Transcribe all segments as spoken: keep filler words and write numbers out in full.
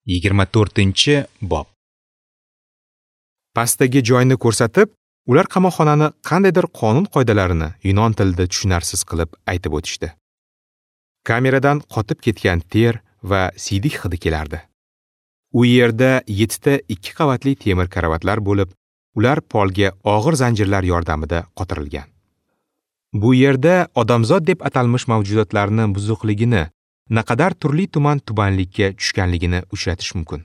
Yigirma to'rtinchi bob. Pastdagi joyni ko'rsatib, ular qamoqxonani qandaydir qonun qoidalarini yunon tilida tushunarsiz qilib aytib o'tishdi. Kameradan qotib ketgan ter va siydik hidi kelardi. U yerda yettita ikki qavatli temir karavotlar bo'lib, ular polga og'ir zanjirlar yordamida qotirilgan. Bu yerda odamzod deb atalmish mavjudotlarni buzuqligini, naqadar turli tuman tubanlikka tushganligini uchratish mumkin.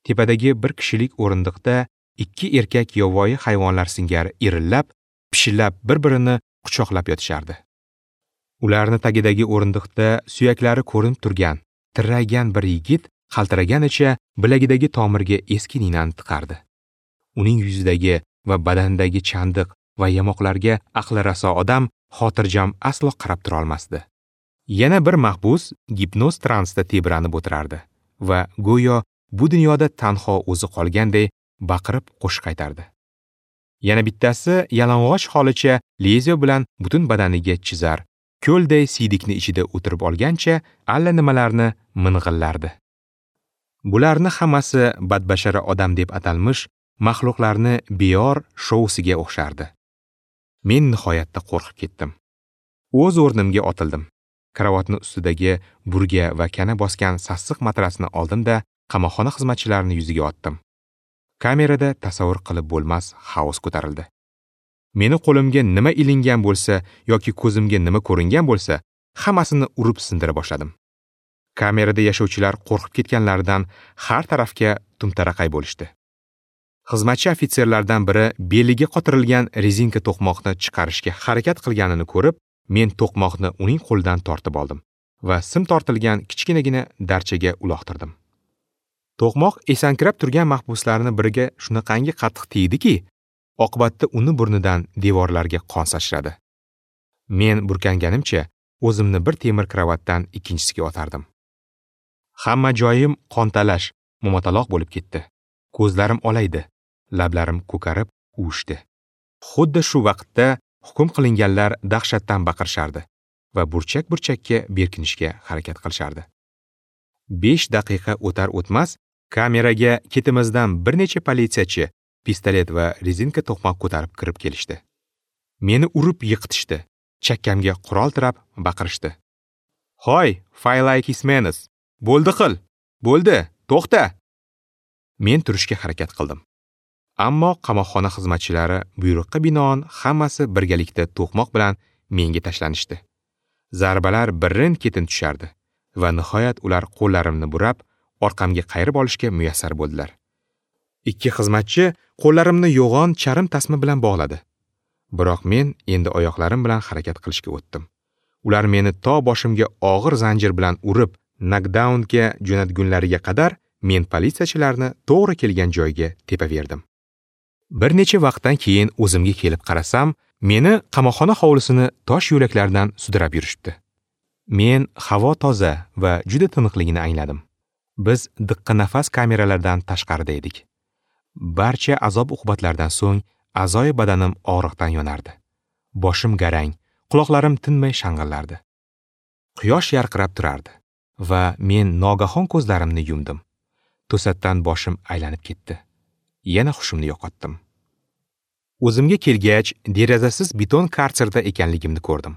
Tepadagi bir kishilik o'rindiqda ikki erkak yovvoyi hayvonlar singari irillab, pishillab bir-birini quchoqlab yotishardi. Ularni tagidagi o'rindiqda suyaklari ko'rinib turgan, tirraygan bir yigit qaltiraganicha bilagidagi tomirga eski ninani tiqardi. Uning yuzidagi va badanidagi chandiq va yamoqlarga aqli raso odam xotirjam aslo qarab tura olmasdi. Yana bir mahbus gipnoz transda tebranib o'tirardi va go'yo bu dunyoda tanho o'zi qolganday baqirib qo'shiq aytardi. Yana bittasi yalang'och holicha lezyo bilan butun badaniga chizar, ko'lday siydikni ichida o'tirib olgancha alla nimalarni ming'illardi. Bularni hammasi badbashara odam deb atalmish maxluqlarni beyor shousiga o'xshardi. Men nihoyatda qo'rqib ketdim. O'z o'rnimga otildim. Karavotni ustidagi burga va kana bosgan sassiq matrasni oldim-da, qamoqxona xizmatchilarining yuziga otdim. Kamerada tasavvur qilib bo'lmas xaos ko'tarildi. Meni qo'limga nima ilingan bo'lsa yoki ko'zimga nima ko'ringan bo'lsa, hammasini urib sindira boshladim. Kamerada yashovchilar qo'rqib ketganlaridan har tarafga tumtaraqay bo'lishdi. Xizmatchi ofitserlardan biri beliga qotirilgan rezinka to'qmoqni chiqarishga harakat qilganini ko'rib, men to'qmoqni uning qo'lidan tortib oldim va sim tortilgan kichkinagina darchaga uloqtirdim. To'qmoq esankirab turgan mahbuslarni biriga shunaqangi qattiq tegdiki, oqibatda uni burnidan devorlarga qon sachradi. Men burkanganimcha o'zimni bir temir kravatdan ikkinchisiga otardim. Hamma joyim qontalash, mo'mataloq bo'lib ketdi. Ko'zlarim olaydi, lablarim ko'karib uvishdi. Xuddi shu vaqtda hukm qilinganlar dahshatdan baqirishardi va burchak-burchakka berkinishga harakat qilishardi. besh daqiqa o'tar o'tmas kameraga ketimizdan bir necha politsiyachi pistolet va rezinka to'qmoq ko'tarib kirib kelishdi. Meni urib yiqitishdi, chakkamga qurol tirab baqirishdi. "Hoy, Faylay Kismenes, bo'ldi qil, bo'ldi, to'xta!" Men turishga harakat qildim. Ammo qamoqxona xizmatchilari buyruqqa binoan hammasi birgalikda to'qmoq bilan menga tashlanishdi. Zarbalar birin-ketin tushardi va nihoyat ular qo'llarimni burab, orqamga qayirib olishga muyassar bo'ldilar. Ikki xizmatchi qo'llarimni yo'g'on charm tasma bilan bog'ladi. Biroq men endi oyoqlarim bilan harakat qilishga o'tdim. Ular meni to boshimga og'ir zanjir bilan urib, nokdaunga jo'natgunlariga qadar men politsiyachilarni to'g'ri kelgan joyga tepaverdim. Bir necha vaqtdan keyin o'zimga kelib qarasam, meni qamoqxona hovlisini tosh yo'laklardan sudrab yurishibdi. Men havo toza va juda tiniqligini angladim. Biz diqqa nafas kameralardan tashqarida edik. Barcha azob-uqubatlardan so'ng a'zoyi badanim og'riqdan yonardi. Boshim garang, quloqlarim tinmay shang'illardi. Quyosh yarqirab turardi va men nogahon ko'zlarimni yumdim. To'satdan boshim aylanib ketdi. Yana hushimni yo'qotdim. O'zimga kelgach, derazasiz beton karserda ekanligimni ko'rdim.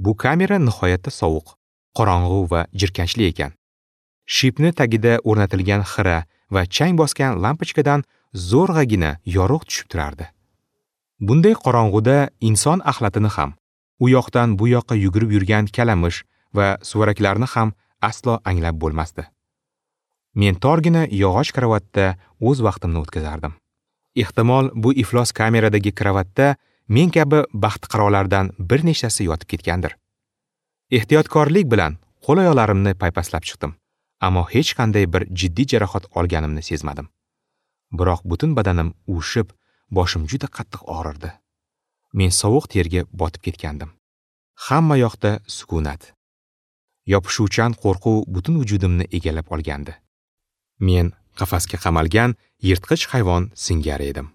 Bu kamera nihoyatda sovuq, qorong'u va jirkanchli ekan. Shipni tagida o'rnatilgan xira va chang bosgan lampochkadan zo'rg'agina yorug' tushib turardi. Bunday qorong'uda inson axlatini ham, u yoqdan bu yoqqa yugurib yurgan kalamish va suvaraklarni ham aslo anglab bo'lmasdi. Men torgina yog'och kravatda o'z vaqtimni o'tkazardim. Ehtimol bu iflos kameradagi kravatda men kabi baxtiqarolardan bir nechtasi yotib ketgandir. Ehtiyotkorlik bilan qo'l-oyoqlarimni paypaslab chiqdim, ammo hech qanday bir jiddiy jarohat olganimni sezmadim. Biroq butun badanim uvishib, boshim juda qattiq og'rirdi. Men sovuq terga botib ketgandim. Hamma yoqda sukunat. Yopishuvchan qo'rquv butun vujudimni egallab olgandi. Men qafasga qamalgan yirtqich hayvon singari edim.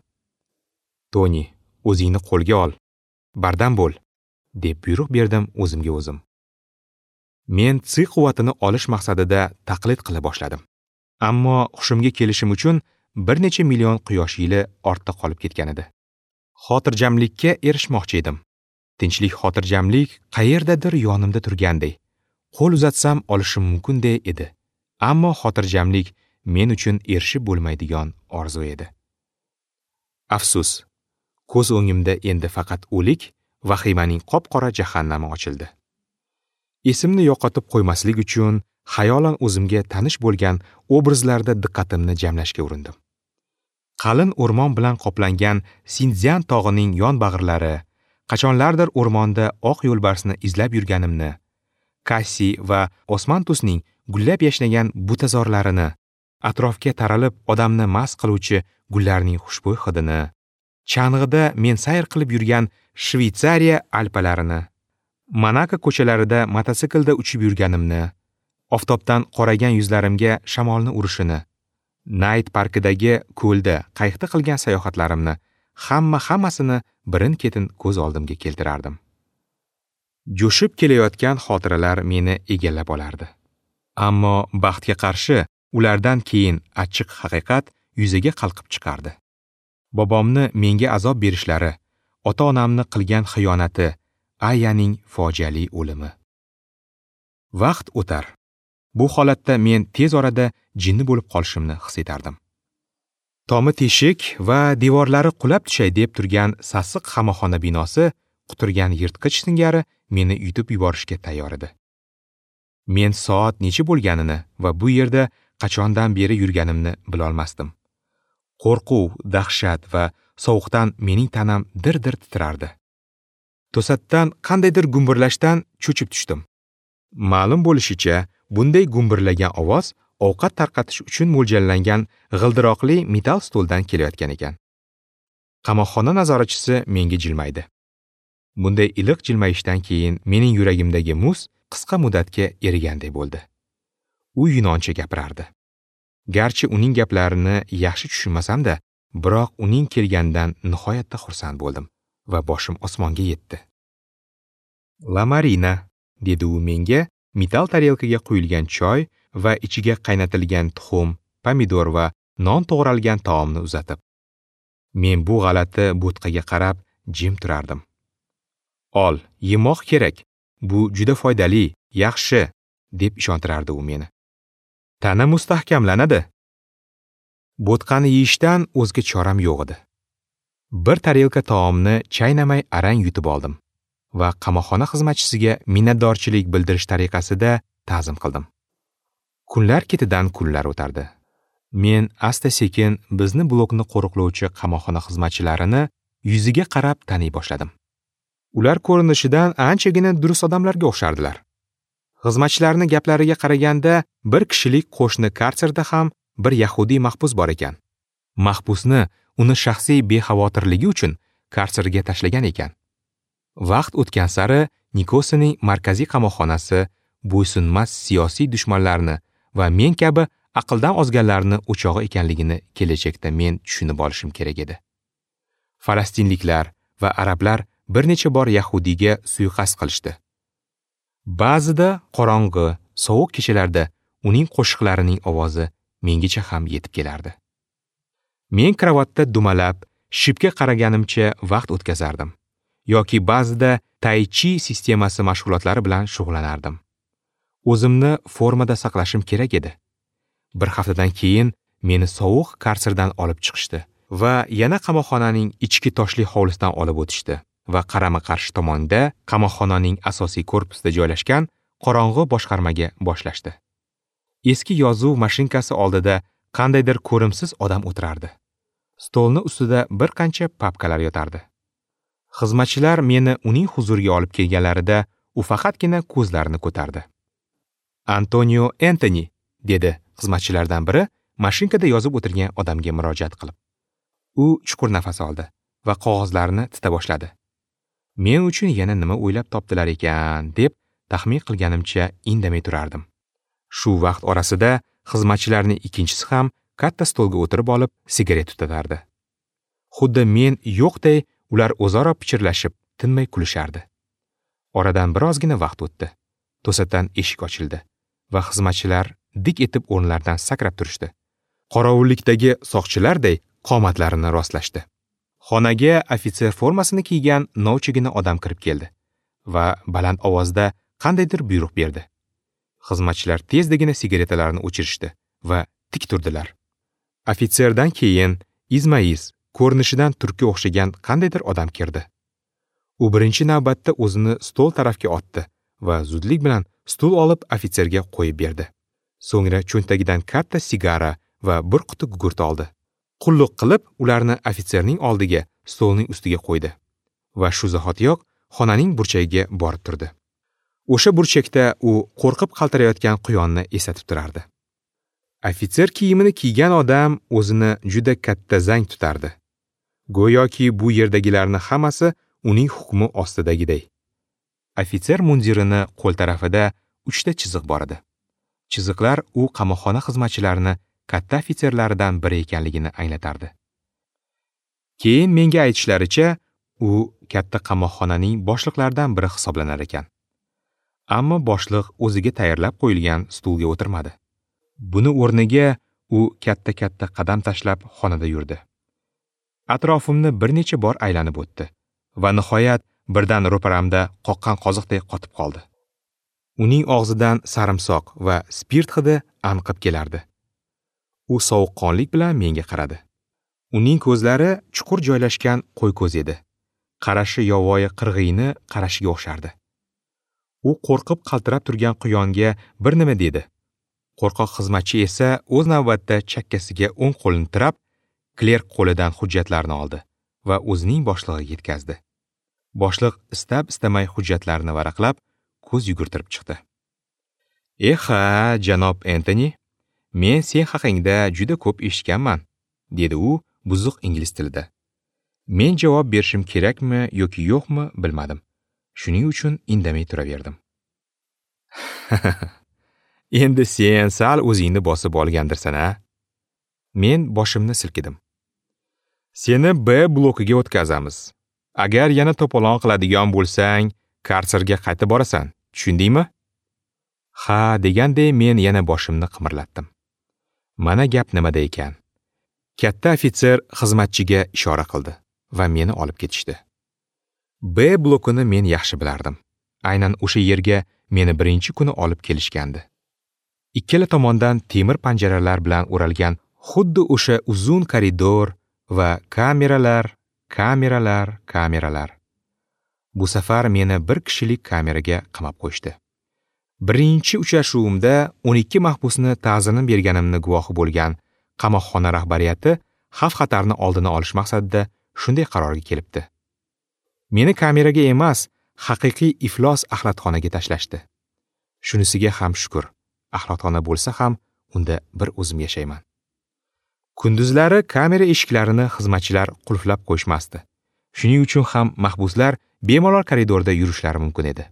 "Toni, o'zingni qo'lga ol, bardam bo'l", deb buyruq berdim o'zimga o'zim. Men tsi quvvatini olish maqsadida taqlid qila boshladim. Ammo hushimga kelishim uchun bir necha million quyosh yili ortda qolib ketgan edi. Xotirjamlikka erishmoqchi edim. Tinchlik, xotirjamlik qayerdadir yonimda turganday. Qo'l uzatsam olishim mumkinday edi. Ammo xotirjamlik men uchun erishib bo'lmaydigan orzu edi. Afsus, ko'z o'ngimda endi faqat o'lik, vahimaning qop-qora jahannami ochildi. Esimni yo'qotib qo'ymaslik uchun xayolan o'zimga tanish bo'lgan obrazlarda diqqatimni jamlashga urindim. Qalin o'rmon bilan qoplangan Sindzyan tog'ining yon bag'irlari, qachonlardir o'rmonda oq yo'lbarsni izlab yurganimni, Kassi va Osmantusning gullab yashnagan butazorlarini, atrofga taralib odamni mast qiluvchi gullarning xushbo'y hidini, chang'ida men sayr qilib yurgan Shveytsariya Alpalarini, Monako ko'chalarida mototsiklda uchib yurganimni, oftobdan qoraygan yuzlarimga shamolni urishini, Nayt parkidagi ko'lda qayiqda qilgan sayohatlarimni, hamma hammasini birin-ketin ko'z oldimga keltirardim. Jo'shib kelayotgan xotiralar meni egallab olardi. Ammo baxtga qarshi ulardan keyin achchiq haqiqat yuzaga qalqib chiqardi. Bobomni menga azob berishlari, ota-onamni qilgan xiyonati, Ayaning fojiali o'limi. Vaqt o'tar. Bu holatda men tez orada jinni bo'lib qolishimni his etardim. Tomi teshik va devorlari qulab tushay deb turgan sassiq qamoqxona binosi quturgan yirtqich singari meni yutib yuborishga tayyor edi. Men soat necha bo'lganini va bu yerda qachondan beri yurganimni bilolmasdim. Qo'rquv, dahshat va sovuqdan mening tanam dir-dir titrardi. To'satdan qandaydir gumburlashdan cho'chib tushdim. Ma'lum bo'lishicha, bunday gumburlagan ovoz ovqat tarqatish uchun mo'ljallangan g'ildiroqli metal stoldan kelayotgan ekan. Qamoqxona nazoratchisi menga jilmaydi. Bunday iliq jilmayishdan keyin mening yuragimdagi muz qisqa muddatga eriganday bo'ldi. U yunoncha gapirardi. Garchi uning gaplarini yaxshi tushunmasam-da, biroq uning kelganidan nihoyatda xursand bo'ldim va boshim osmonga yetdi. "La Marina", dedi u menga metal tarelkaga quyilgan choy va ichiga qaynatilgan tuxum, pomidor va non to'g'ralgan taomni uzatib. Men bu g'alati bo'tqaga qarab jim turardim. "Ol, yemoq kerak. Bu juda foydali, yaxshi", deb ishontirardi u meni. "Tana mustahkamlanadi." Bo'tqani yeyishdan o'zga choram yo'q edi. Bir tarelka taomni chaynamay arang yutib oldim va qamoqxona xizmatchisiga minnatdorchilik bildirish tariqasida ta'zim qildim. Kunlar ketidan kunlar o'tardi. Men asta-sekin bizni blokni qo'riqlovchi qamoqxona xizmatchilarini yuziga qarab taniy boshladim. Ular ko'rinishidan anchagina durust odamlarga o'xshardilar. Xizmatchilarning gaplariga qaraganda bir kishilik qo'shni karserda ham bir yahudiy mahbus bor ekan. Mahbusni uni shaxsiy bexavotirligi uchun karserga tashlagan ekan. Vaqt o'tgan sari Nikosining markaziy qamoqxonasi bo'ysunmas siyosiy dushmanlarni va men kabi aqldan ozganlarni o'chog'i ekanligini kelajakda men tushunib olishim kerak edi. Falastinliklar va arablar bir necha bor yahudiyga suiqasd qilishdi. Ba'zida qorong'i, sovuq kechalarda uning qo'shiqlarining ovozi mengacha ham yetib kelardi. Men kravatda dumalab, shipga qaraganimcha vaqt o'tkazardim yoki ba'zida tai chi sistemasi mashg'ulotlari bilan shug'ullanardim. O'zimni formada saqlashim kerak edi. Bir haftadan keyin meni sovuq karserdan olib chiqishdi va yana qamoqxonaning ichki toshli hovlisidan olib o'tishdi va qarama-qarshi tomonda qamoqxonaning asosiy korpusida joylashgan qorong'i boshqarmaga boshlashdi. Eski yozuv mashinkasi oldida qandaydir ko'rimsiz odam o'tirardi. Stolni ustida bir qancha papkalar yotardi. Xizmatchilar meni uning huzuriga olib kelganlarida u faqatgina ko'zlarini ko'tardi. "Antonio Entoni", dedi xizmatchilardan biri mashinkada yozib o'tirgan odamga murojaat qilib. U chuqur nafas oldi va qog'ozlarni tita boshladi. Men uchun yana nima o'ylab topdilar ekan deb taxmin qilganimcha indamay turardim. Shu vaqt orasida xizmatchilarning ikkinchisi ham katta stolga o'tirib olib sigaret tutatardi. Xuddi men yo'qday ular o'zaro pichirlashib, tinmay kulishardi. Oradan birozgina vaqt o'tdi. To'satdan eshik ochildi va xizmatchilar dik etib o'rinlaridan sakrab turishdi. Qorovullikdagi soqchilarday qomatlarini rostlashdi. Xonaga ofitser formasini kiygan novchagina odam kirib keldi va baland ovozda qandaydir buyruq berdi. Xizmatchilar tezdagina sigaretalarini o'chirishdi va tik turdilar. Ofitserdan keyin izma-iz ko'rinishidan turkka o'xshagan qandaydir odam kirdi. U birinchi navbatda o'zini stol tarafga otdi va zudlik bilan stul olib ofitserga qo'yib berdi. So'ngra cho'ntagidan katta sigara va bir quti gugurt oldi. Qulluq qilib, ularni ofitserning oldiga, stolning ustiga qo'ydi va shu zahotiyoq xonaning burchagiga borib turdi. O'sha burchakda u qo'rqib qaltirayotgan quyonni eslatib turardi. Ofitser kiyimini kiygan odam o'zini juda katta zang tutardi. Go'yoki bu yerdagilarning hammasi uning hukmi ostidagiday. Ofitser mundirini qo'l tarafida uchta chiziq bor edi. Chiziqlar u qamoqxona xizmatchilarini katta ofitserlaridan biri ekanligini anglatardi. Keyin menga aytishlaricha, u katta qamoqxonaning boshliqlaridan biri hisoblanar ekan. Ammo boshliq o'ziga tayyorlab qo'yilgan stulga o'tirmadi. Buni o'rniga u katta-katta qadam tashlab xonada yurdi. Atrofimni bir necha bor aylanib o'tdi va nihoyat birdan ro'paramda qoqqan qoziqdek qotib qoldi. Uning og'zidan sarimsoq va spirt hidi anqib kelardi. U sovuqqonlik bilan menga qaradi. Uning ko'zlari chuqur joylashgan qo'y ko'z edi. Qarashi yovvoyi qirg'iyni qarashiga o'xshardi. U qo'rqib qaltirab turgan quyonga bir nima dedi. Qo'rqoq xizmatchi esa o'z navbatida chakkasiga o'ng qo'lini tirab, klerk qo'lidan hujjatlarni oldi va o'zining boshlig'iga yetkazdi. Boshliq istab-istamay hujjatlarni varaqlab, ko'z yugurtirib chiqdi. "Eha, janob Entoni, men sen haqingda juda ko'p eshitganman", dedi u buzuq ingliz tilida. Men javob berishim kerakmi yoki yo'qmi bilmadim. Shuning uchun indamay turaverdim. Endi sen sal o'zingni bosib olgandirsan, a? Men boshimni silkidim. Seni B blokiga o'tkazamiz. Agar yana to'polon qiladigan bo'lsang, karserga qaytib borasan. Tushundingmi? Ha, deganday men yana boshimni qimirlatdim. Mana gap nimada ekan. Katta ofitser xizmatchiga ishora qildi va meni olib ketishdi. B blokini men yaxshi bilardim. Aynan o'sha yerga meni birinchi kuni olib kelishgandi. Ikkala tomondan temir panjaralar bilan o'ralgan xuddi o'sha uzun koridor va kameralar, kameralar, kameralar. Bu safar meni bir kishilik kameraga qamab qo'yishdi. Birinchi uchrashuvimda o'n ikki mahbusni ta'zirini berganimni guvohi bo'lgan qamoqxona rahbariyati xavf-xatarni oldini olish maqsadida shunday qarorga kelibdi. Meni kameraga emas, haqiqiy iflos axlatxonaga tashlashdi. Shunisiga ham shukr. Axlatxona bo'lsa ham unda bir o'zim yashayman. Kunduzlari kamera eshiklarini xizmatchilar qulflab qo'yishmasdi. Shuning uchun ham mahbuslar bemalol koridorda yurishlari mumkin edi.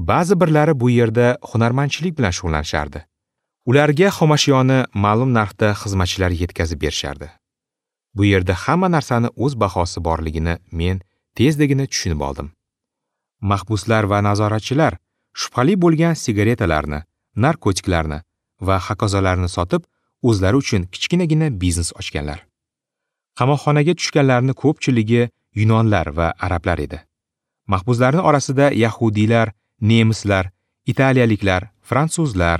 Ba'zi birlari bu yerda hunarmandchilik bilan shug'ullanishardi. Ularga xomashyoni ma'lum narxda xizmatchilar yetkazib berishardi. Bu yerda hamma narsani o'z bahosi borligini men tezdagina tushunib oldim. Mahbuslar va nazoratchilar shubhali bo'lgan sigaretalarni, narkotiklarni va hokazolarni sotib, o'zlari uchun kichkinagina biznes ochganlar. Qamoqxonaga tushganlarning ko'pchiligi yunonlar va arablar edi. Mahbuslarning orasida yahudiylar, nemislar, italiyaliklar, fransuzlar,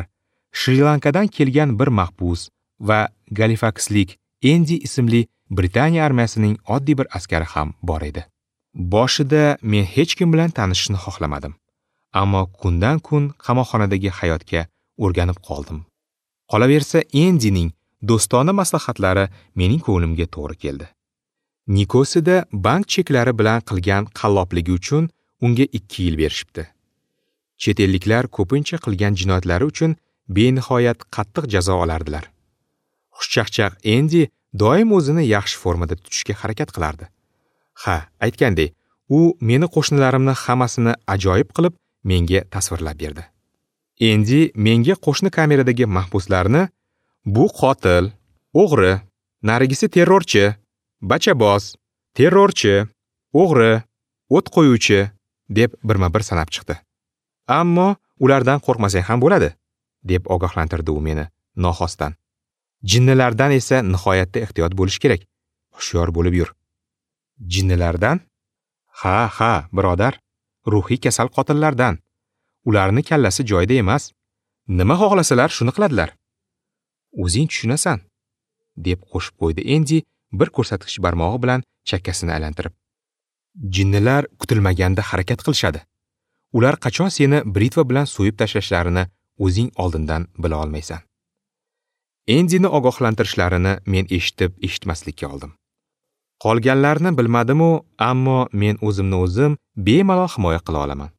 Shri-Lankadan kelgan bir mahbus va Galifakslik Endi ismli Britaniya armiyasining oddiy bir askari ham bor edi. Boshida men hech kim bilan tanishishni xohlamadim. Ammo kundan kun qamoqxonadagi hayotga o'rganib qoldim. Qolaversa, Endining do'stona maslahatlari mening ko'nglimga to'g'ri keldi. Nikosida bank cheklari bilan qilgan qallobligi uchun unga ikki yil berishibdi. Chet elliklar ko'pincha qilgan jinoyatlari uchun benihoyat qattiq jazo olardilar. Xushchaqchaq Endi doim o'zini yaxshi formada tutishga harakat qilardi. Ha, aytgandek, u meni qo'shnilarimni hammasini ajoyib qilib menga tasvirlab berdi. Endi menga qo'shni kameradagi mahbuslarni bu qotil, o'g'ri, narigisi terrorchi, bachaboz, terrorchi, o'g'ri, o't qo'yuvchi deb birma-bir sanab chiqdi. Ammo ulardan qo'rqmasang ham bo'ladi. deb ogohlantirdi u meni noxostan. Jinnilardan esa nihoyatda ehtiyot bo'lish kerak. Hushyor bo'lib yur. Jinnilardan? Ha, ha, birodar, ruhiy kasal qotillardan. Ularni kallasi joyida emas. Nima xohlasalar shuni qiladilar. O'zing tushunasan, deb qo'shib qo'ydi Endi bir ko'rsatkich barmog'i bilan chakkasini aylantirib. Jinnilar kutilmaganda harakat qilishadi. Ular qachon seni britva bilan so'yib tashlashlarini o'zing oldindan bila olmaysan. Endini ogohlantirishlarini men eshitib eshitmaslikka oldim. Qolganlarni bilmadim-u, ammo men o'zimni o'zim bemalol himoya qila olaman.